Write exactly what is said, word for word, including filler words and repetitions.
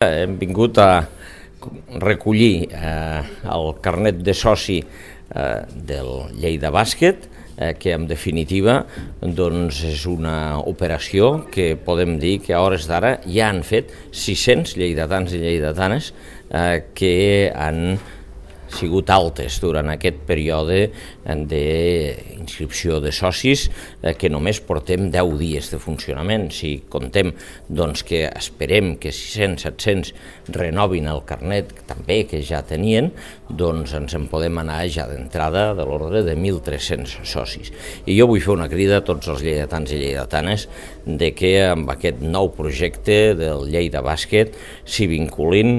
Hem vingut a recollir eh, el carnet de soci eh, del Lleida Bàsquet, eh, que en definitiva doncs, és una operació que podem dir que a hores d'ara ja han fet sis-cents lleidatans i lleidatanes eh, que han sigut altes durant aquest període d'inscripció de socis eh, que només portem deu dies de funcionament. Si contem doncs, que esperem que sis-cents set-cents renovin el carnet també que ja tenien, doncs ens en podem anar ja d'entrada de l'ordre de mil tres-cents socis. I jo vull fer una crida a tots els lleidatans i lleidatanes de que amb aquest nou projecte del Lleida Bàsquet s'hi vinculin